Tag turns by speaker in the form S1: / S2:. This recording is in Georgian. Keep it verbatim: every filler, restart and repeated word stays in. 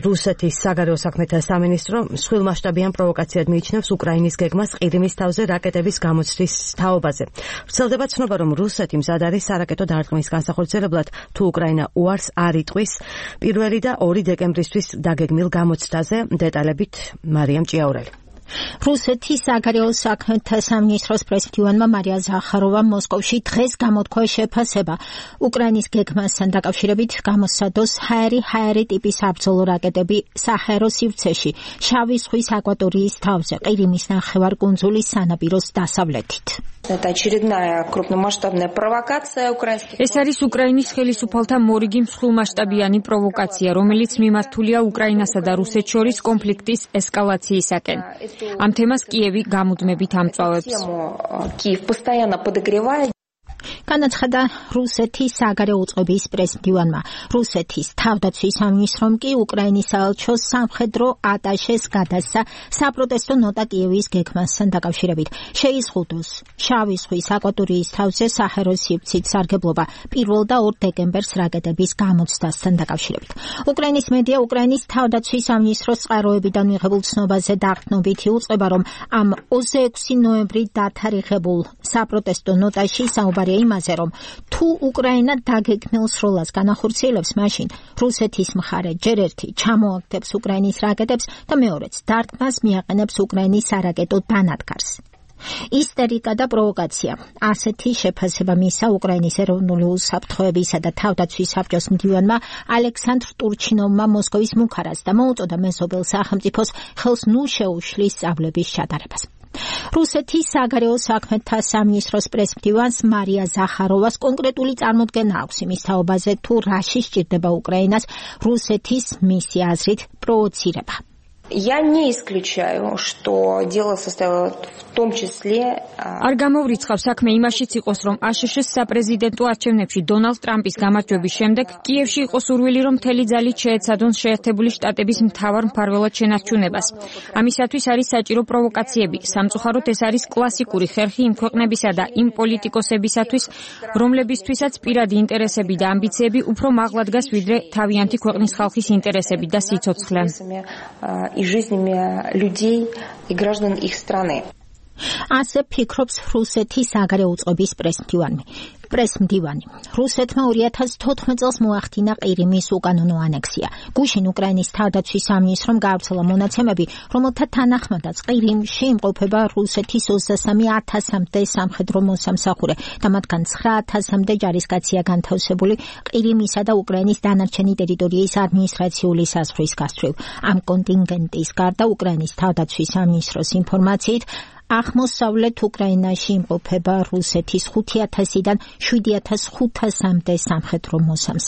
S1: რუსეთის საგარეო საქმეთა სამინისტრო მსხვილმასშტაბიან პროვოკაციად მიიჩნევს უკრაინის გეგმას ყირიმის თავზე რაკეტების გამოცდის თაობაზე. ვრცელდება ცნობა, რომ რუსეთი მზად არის სარაკეტო დარტყმის განსახორციელებლად, თუ უკრაინა უარს არ იტყვის პირველი და ორი დეკემბრისთვის დაგეგმილ გამოცდაზე. დეტალებით მარიამ ჭიაურელი.
S2: რუსეთის საგარეო საქმეთა სამინისტროს პრეზიდენტმა მარია ზახაროვამ მოსკოვში დღეს გამოთქვა შეფასება უკრაინის გეგმასთან დაკავშირებით გამოსცადოს ჰაერი ჰაერი ტიპის საბრძოლო რაკეტები საჰაერო სივრცეში შავი ზღვის აკვატორიის თავზე ყირიმის ნახევარკუნძულის სანაპიროს დასავლეთით.
S3: ეს არის უკრაინის ხელისუფალთა მორიგი მსხვილმასშტაბიანი პროვოკაცია, რომელიც მიმართულია უკრაინასა და რუსეთს შორის კონფლიქტის ესკალაციისაკენ. ამ თემას კიევი გამუდმებით ამწვავებს.
S2: განაცხადა რუსეთის საგარეო უწყების პრეზიდენტმა. რუსეთის თავდაცვის სამინისტრომ კი უკრაინის საელჩოს სამხედრო ატაშეს გადასცა საპროტესტო ნოტა კიევის გეგმასთან დაკავშირებით. შეიზღუდოს შავი ზღვის აკვატორიის თავზე საჰაერო სივრცით სარგებლობა პირველ და ორ დეკემბერს რაკეტების გამოცდასთან დაკავშირებით. უკრაინის მედია უკრაინის თავდაცვის სამინისტროს წყაროებიდან მიღებულ ცნობაზე დაყრდნობით იუწყება, რომ ამ ოცდაექვსი ნოემბრი დათარიღებულ საპროტესტო ნოტაში საუბარია იმაზე, რომ თუ უკრაინა დაგეგმილ სროლას განახორციელებს, მაშინ რუსეთის მხარე ჯერ ერთი ჩამოაგდებს უკრაინის რაკეტებს და მეორეც დარტყმას მიაყენებს უკრაინის სარაკეტო დანადგარს. ისტერიკა და პროვოკაცია. ასეთი შეფასება მისცა უკრაინის ეროვნული უსაფრთხოებისა და თავდაცვის საბჭოს მდივანმა ალექსანდრ ტურჩინოვმა მოსკოვის მუქარას და მოუწოდა მეზობელ სახელმწიფოს ხელს ნუ შეუშლის სწავლების ჩატარებას. რუსეთის საგარეო საქმეთა სამინისტროს პრეზიდენტს მარია ზახაროვას კონკრეტული წარმოდგენა აქვს იმის თაობაზე, თუ რაში სჭირდება უკრაინას რუსეთის მისი აზრით პროვოცირება.
S4: Я не исключаю, что дело состояло в том числе...
S3: არ გამოვრიცხავ საქმე იმაშიც იყოს, რომ აშშ-ს საპრეზიდენტო არჩევნებში დონალდ ტრამპის გამარჯვების შემდეგ კიევში იყო სურვილი, რომ მთელი ძალით შეეცადონ შეერთებული შტატების მთავარ მფარველად შენარჩუნებას. ამისათვის არის საჭირო პროვოკაციები. სამწუხაროდ ეს არის კლასიკური ხერხი იმ ქვეყნებისა და იმ პოლიტიკოსებისათვის, რომლებისთვისაც პირადი ინტერესები და ამბიციები უფრო მაღლა დგას, ვიდრე თავიანთი ქვეყნის ხალხის ინტერესები და სიცოცხლე.
S4: и жизнями людей и граждан их страны.
S2: ასე ფიქრობს რუსეთის საგარეო უწყების პრეზიდენტი. პრეზიდენტი რუსეთმა ორი ათას თოთხმეტ წელს მოახდინა ყირიმის უკანონო ანექსია. გუშინ უკრაინის თავდაცვის სამინისტრომ გაავრცელა მონაცემები, რომელთა თანახმადაც ყირიმში იმყოფება რუსეთის ოცდასამი ათასამდე სამხედრო მოსამსახურე და მათგან ცხრა ათასამდე ჯარისკაცია განთავსებული ყირიმისა და უკრაინის დანარჩენი ტერიტორიის ადმინისტრაციული საზღვრის გასწვრივ. ამ კონტინგენტის გარდა უკრაინის თავდაცვის სამინისტროს ინფორმაციით აღმოსავლეთ უკრაინაში იმყოფება რუსეთის ხუთი ათასიდან შვიდი ათას ხუთასამდე სამხედრო მოსამსახურე.